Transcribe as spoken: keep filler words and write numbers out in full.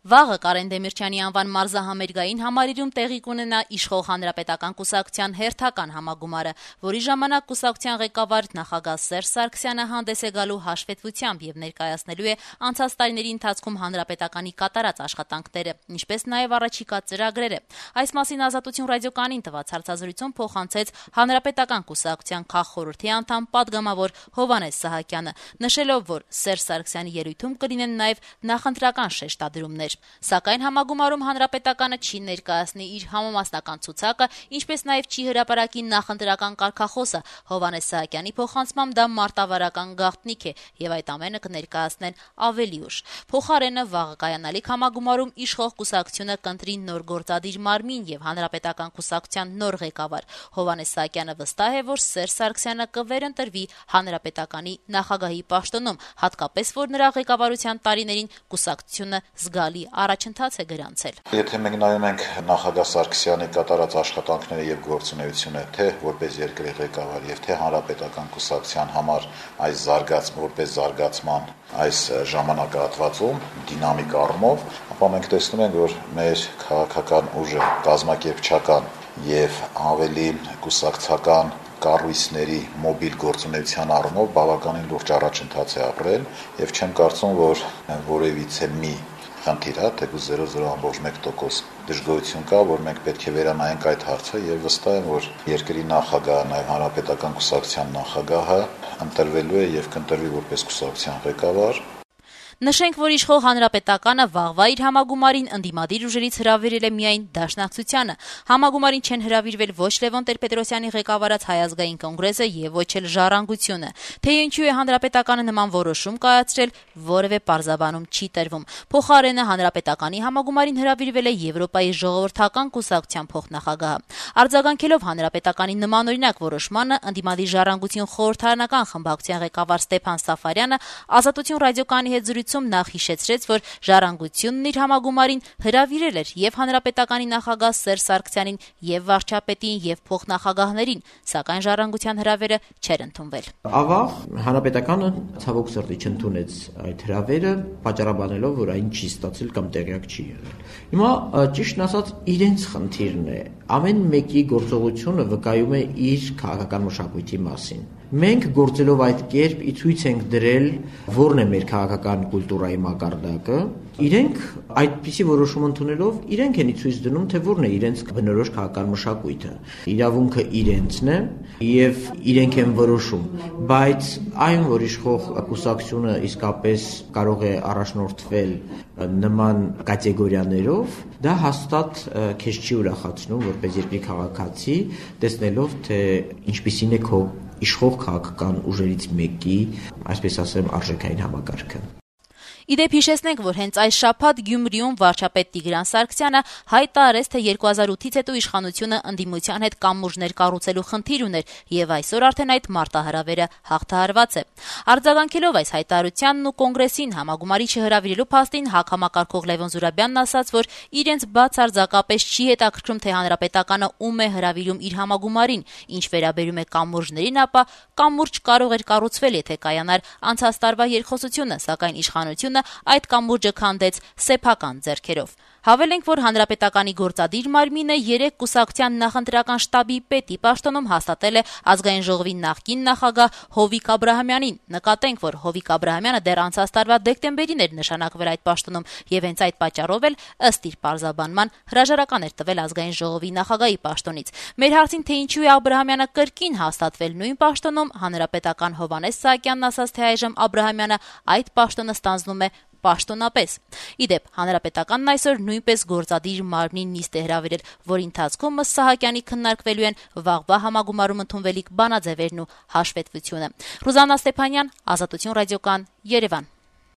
Վաղը Կարեն Դեմիրճյանի անվան մարզահամերգային համարիրում տեղի կունենա իշխող Հանրապետական կուսակցության հերթական համագումարը, որի ժամանակ կուսակցության ղեկավար նախագահ Սերժ Սարգսյանը հանդես է գալու հաշվետվությամբ եւ ներկայացնելու է անցած տարիների ընթացքում Հանրապետականի կատարած աշխատանքները, ինչպես նաեւ առաջիկա ծրագրերը։ Այս մասին Ազատություն ռադիոկայանին տված հարցազրույցում փոխանցեց Հանրապետական կուսակցության քաղխորհրդի անդամ պատգամավոր Հովհաննես Սահակյանը, նշելով, որ Սերժ Սարգսյանի ելույթում կլինեն նաեւ նախընտրական շեշտադրումներ։ Սակայն համագումարում Հանրապետականը չի ներկայացնի իր համամասնական ցուցակը, ինչպես նաև չի հրապարակի նախընտրական կարգախոսը։ Հովհաննես Սահակյանի փոխանցմամբ դա մարտավարական գաղտնիք է եւ այդ ամենը կներկայացնեն ավելի ուշ։ Փոխարենը վաղը կայանալիք համագումարում իշխող կուսակցությունը կընտրի նոր գործադիր մարմին եւ Հանրապետական կուսակցության նոր ղեկավար։ Հովհաննես Սահակյանը վստահ է, որ Սերժ Սարգսյանը կվերընտրվի Հանրապետականի նախագահի պաշտոնում, հատկապես որ նրա ղեկավարության տարիներին կուսակցությունը զգալի առաջընթաց է գրանցել։ Եթե մենք նայում ենք նախագահ Սարգսյանի կատարած աշխատանքները եւ գործունեությունը, թե որպես երկրի ղեկավար եւ թե Հանրապետական կուսակցության համար այս զարգաց որպես զարգացման այս ժամանակահատվածում դինամիկ առումով, ապա մենք տեսնում ենք, որ մեր քաղաքական ուժը կազմակերպչական եւ ավելի կուսակցական կառույցների մոբիլ գործունեության առումով բավականին լուրջ առաջընթաց է ապրել եւ չեմ կարծում, որ որևիցե մի խնդիր է, թեկուզ զերո զիրո ամբողջ մեկ տոկոս դժգոհություն կա, որ մենք պետք է վերանայենք այդ հարցը եւ վստահ եմ, որ երկրի նախագահը, նաեւ Հանրապետական կուսակցության նախագահը ընտրվելու է եւ կընտրվի որպես կուսակցության ղեկավար։ Նշենք, որ իշխող Հանրապետականը վաղվա իր համագումարին ընդդիմադիր ուժերից հրավիրել է միայն Դաշնակցությանը։ Համագումարին չեն հրավիրվել ոչ Լևոն Տեր-Պետրոսյանի ղեկավարած Հայ ազգային կոնգրեսը եւ ոչ էլ Ժառանգությունը։ Թե ինչու է Հանրապետականը նման որոշում կայացրել, որևէ պարզաբանում չի տրվում։ Փոխարենը Հանրապետականի համագումարին հրավիրվել է Եվրոպայի ժողովրդական կուսակցության փոխնախագահը։ Արձագանքելով Հանրապետականի նմանօրինակ որոշմանը, ընդդիմադիր Ժառանգություն խորհրդարանական խմբակցության ղեկավար Ստեփան Սաֆարյանը Ազատություն ռադիոկայանի հետ զրույցում նախ հիշեցրեց, որ Ժառանգությունն իր համագումարին հրավիրել էր եւ Հանրապետականի նախագահ Սերժ Սարգսյանին, եւ վարչապետին, եւ փոխնախագահներին, սակայն Ժառանգության հրավերը չէր ընդունվել։ Ավաղ Հանրապետականը ցավոք սրտի չընդունեց այդ հրավերը, պատճառաբանելով, որ այն չի ստացել կամ տեղյակ չի եղել։ Հիմա ճիշտն ասած իրենց խնդիրն է։ Ամեն մեկի գործողությունը վկայում է իր քաղաքական մշակույթի մասին։ Մենք գործելով այդ կերպ ի ցույց ենք դրել, որն է մեր քաղաքական կուլտուրայի մակարդակը։ Իրենք այդպիսի որոշում ընդունելով, իրենք են ի ցույց դնում, թե որն է իրենց բնորոշ քաղաքական մշակույթը։ Իրավունքը իրենցն է եւ իրենք են որոշում, բայց այն, որ իշխող կուսակցությունը իսկապես կարող է առաջնորդվել նման կատեգորիաներով, դա հաստատ քեզ չի ուրախացնում որպես երկրի քաղաքացի, տեսնելով, թե ինչպիսին է քո իշխող քաղաքական ուժերից մեկի, այսպես ասեմ, արժեքային համակարգը։ Իդեպ հիշեցնենք, որ հենց այս շաբաթ Գյումրիում վարչապետ Տիգրան Սարգսյանը հայտարարեց, թե երկու հազար ութից հետո իշխանությունը ընդդիմության հետ կամուրջներ կառուցելու խնդիր ուներ եւ այսօր արդեն այդ մարտահրավերը հաղթահարված է։ Արձագանքելով այս հայտարարությանն ու կոնգրեսին համագումարի չհրավիրելու փաստին հակամակարգող Լևոն Զուրաբյանն ասաց, որ իրենց բացարձակապես չի հետաքրքրում, թե Հանրապետականը ում է հրավիրում իր համագումարին, ինչ վերաբերում է կամուրջներին, ապա կամուրջ կարող էր կառուցվել, եթե կայանար անցած տարվա երկխոսությունը, սակայն իշխանությունը այդ կամուրջը քանդեց սեփական ձեռքերով։ Հավելենք, որ Հանրապետականի գործադիր մարմինը երեք կուսակցության նախընտրական շտաբի պետի պաշտոնում հաստատել է ազգային ժողովի նախկին նախագահ Հովիկ Աբրահամյանին։ Նկատենք, որ Հովիկ Աբրահամյանը դեռ անցած տարվա դեկտեմբերին էր նշանակվել այդ պաշտոնում եւ հենց այդ պատճառով էլ ըստ իր պարզաբանման հրաժարական էր տվել ազգային ժողովի նախագահի պաշտոնից։ Մեր հարցին, թե ինչու է Աբրահամյանը կրկին հաստատվել նույն պաշտոնում, Հանրապետական Հովհաննես Սահակյանն ասաց, թե այժմ Աբրահամյանը այդ պաշտոնը ստանձնում է պաշտոնապես։ Իդեպ Հանրապետականն այսօր նույնպես գործադիր մարմնին նիստ է հրավիրել, որի ընթացքում ըստ Սահակյանի քննարկվելու են վաղվա համագումարում ընդունվելիք բանաձևերն ու հաշվետվությունը։ Ռուզաննա Ստեփանյան, Ազատություն ռադիոկայան, Երևան։